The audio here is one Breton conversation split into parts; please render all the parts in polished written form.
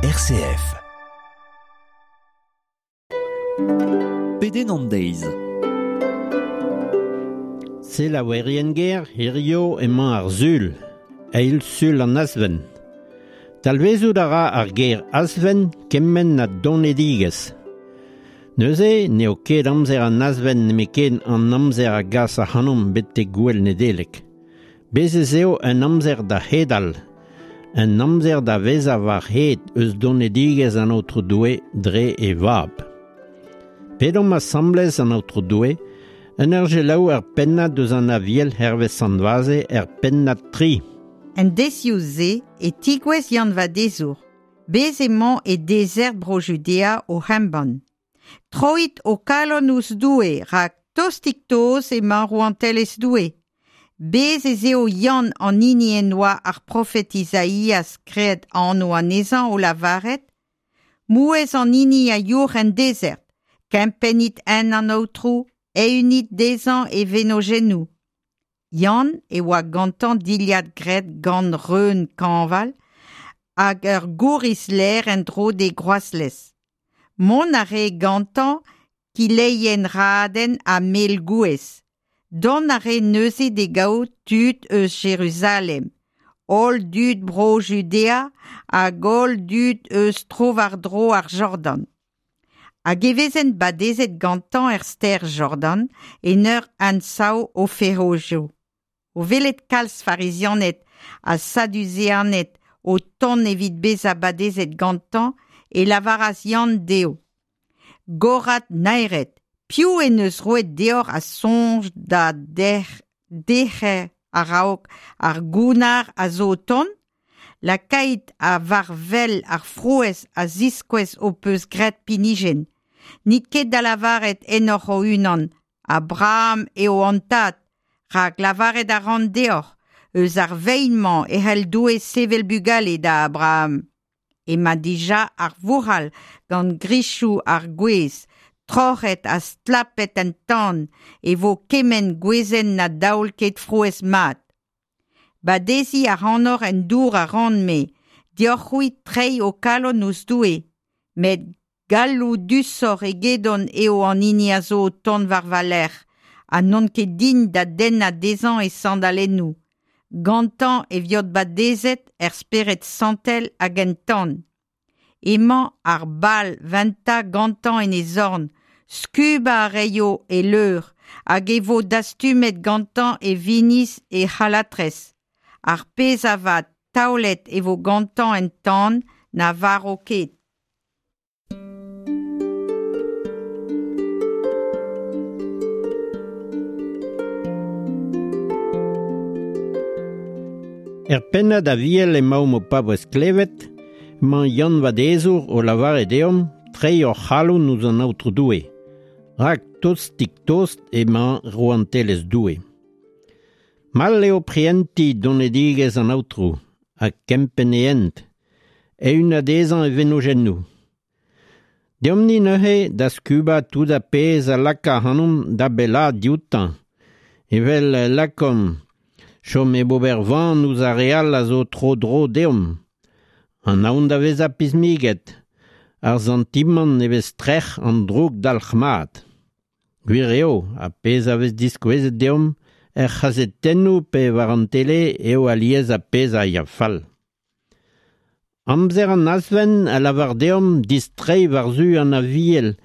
RCF. Pedenn an deiz. Selaouerien ger, hirio emañ ar sul, eil sul an Azven. Talvezout a ra ar ger Azven kement ha donedigezh. Neuze n'eo ket amzer an Azven nemetken an amzer a gas ac'hanomp betek gouel Nedeleg. Bez ez eo un amzer da hedal, un amzer da vezañ war hed eus donedigezh an Aotrou Doue dre e vab. Pedomp asambles an Aotrou Doue, en ur selaou ar pennad eus an Aviel hervez Sant Vaze er pennad 3. En deizioù-se e tigouez Yann Vadezour. Bez emañ e dezert Bro-Judea o embann. Troit ho kalon ouzh Doue, rak tostik-toz emañ rouantelezh Doue. Bez ez eo Yann an hini en doa ar profed Izaias graet anv anezhañ o lavaret Mouezh an hini a youc'h en dezert, kempennit hent an Aotrou, eeunit dezhañ e venojennoù. Yann e oa gantañ dilhad graet gant reun kañval hag ur gouriz lêr en-dro d'e groazlez. Mont a rae gantañ kileien-raden ha mel gouez. Dont a rae neuze d'e gaout tud eus Jeruzalem, holl dud Bro-Judea hag holl dud eus tro-war-dro ar Jordan. Hag e vezent badezet gantañ er stêr Jordan en ur ansav o ferojoù. O welet kalz farizianed ha saduseaned o tont evit bezañ badezet gantañ e lavaras Yann dezho: Gorad naered, Piv en deus roet deoc'h ar soñj da dec'her a-raok ar gounnar a zo o tont? Lakait war-wel ar frouezh a ziskouez ho peus graet pinijenn. N'it ket da lavaret ennoc'h ho-unan, Abraham eo hon tad, rak lavaret a ran deoc'h, eus ar vein-mañ e c'hell Doue sevel bugale da Abraham. Emañ dija ar vouc'hal gant grizhoù ar gwez, troc'het ha stlapet en tan, e vo kement gwezenn na daol ket frouezh mat. Badeziñ ac'hanoc'h en dour a ran-me, deoc'h-c'hwi treiñ ho kalon ouzh Doue, met galloudusoc'h egedon eo an hini a zo o tont war va lerc'h, ha n'on ket din da dennañ dezhañ e sandalennoù. Gantañ e viot badezet er Spered Santel hag en tan. Emañ ar bal ventañ gantañ en e zorn, skubañ a raio e leur hag e vo dastumet gantañ e winiz e c'halatrez. Ar pezh avat taolet e vo gantañ en tan na varv ket. Er pennad Aviel emaomp o paouez klevet, emañ Yann Vadezour o lavaret deomp treiñ hor c'halon ouzh an Aotrou Doue, rak tostik-tost emañ rouantelezh Doue. Mall eo prientiñ donedigezh an Aotrou ha kempenn e hent, eeunañ dezhañ e venojennoù. Deomp-ni neuze da skubañ tout ar pezh a laka ac'hanomp da bellaat dioutañ, evel lakaomp chom hep ober van ouzh ar re all a zo tro-dro deomp, an aon da vezañ pismiget, ar santimant e vez trec'h an droug dalc'hmat. Gwir eo, ar pezh a vez diskouezet deomp er c'hazetennoù pe war an tele eo alies ar pezh a ya fall. Amzer an Azven a lavar deomp distreiñ war-zu an Aviel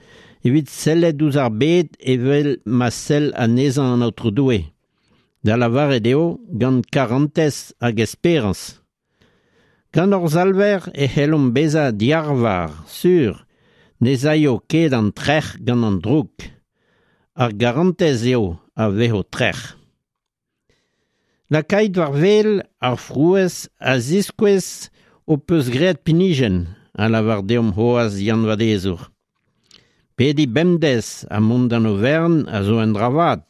evit sellet ouzh ar bed evel ma sell anezhañ an Aotrou Doue, da lavaret eo gant karantez hag esperañs. Gant hor Salver e c'hellomp bezañ diarvar, sur, ne'z aio ket an trec'h gant an droug. Ar garantez eo a vezo trec'h. Lakait war wel ar frouezh a ziskouez ho peus graet pinijenn, a lavar deomp c'hoazh Yann Vadezour. Pediñ bemdez ha mont d'an overn a zo un dra vat.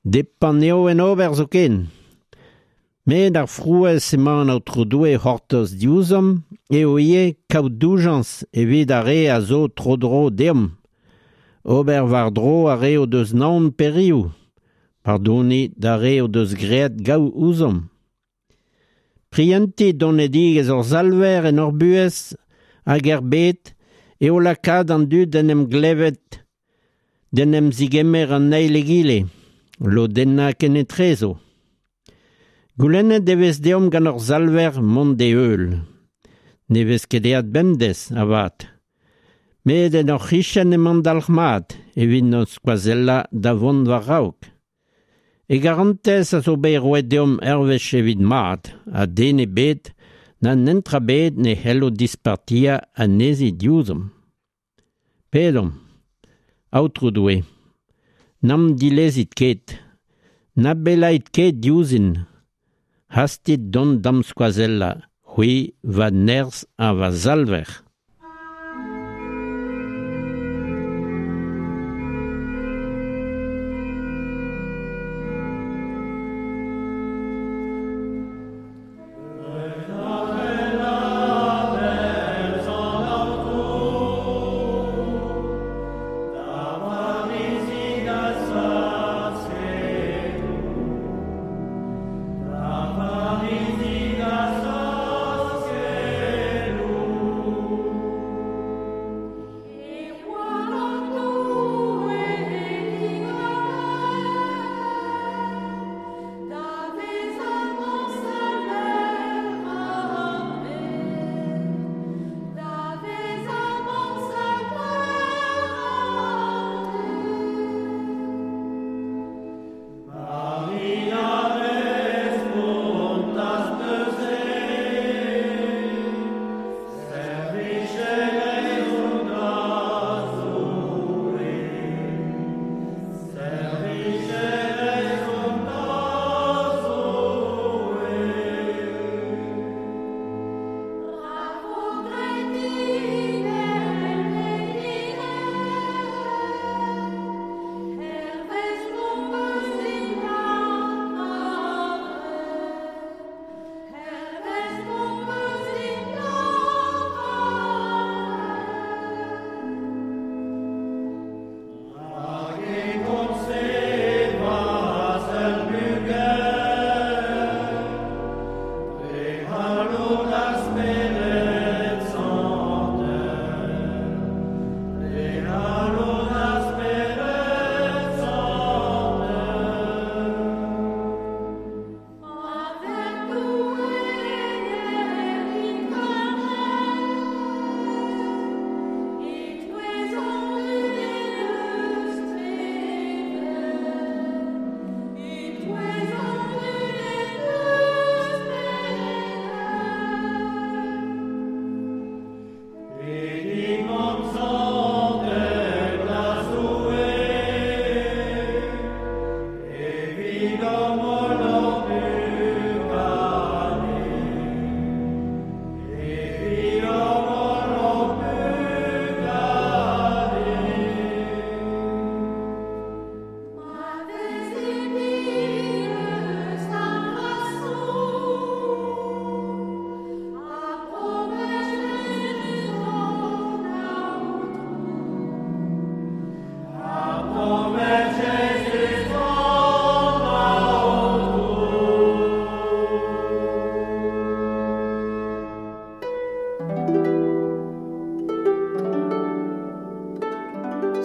Depant eo en ober zoken. Met ar frouezh emañ an Aotrou Doue c'hortoz diouzhomp eo ivez kaout doujañs evit ar re a zo tro-dro deomp. Ober war-dro ar re o deus naon pe riv. Pardoniñ d'ar re o deus graet gaou ouzhomp. Prientiñ donedigezh hor Salver en hor buhez hag er bed eo lakaat an dud d'en em glevet, d'en em zigemer an eil egile, lodennañ kenetrezo. Goulennet e vez deomp gant hor Salver mont d'e heul. Ne vez ket aet bemdez, avat. Met en hor c'hichen emañ dalc'hmat evit hon skoazellañ da vont war-raok. E garantez a zo bet roet deomp ur wech evit mat, ha den ebet na netra ebet ne c'hello dispartiañ anezhi diouzhomp. Pedomp, Aotrou Doue, n'am dilezit ket, na bellait ket diouzhin, hastit dont d'am skoazellañ, c'hwi va nerzh ha va salver.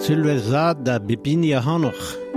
Sulvezh vat da bep hini ac'hanoc'h.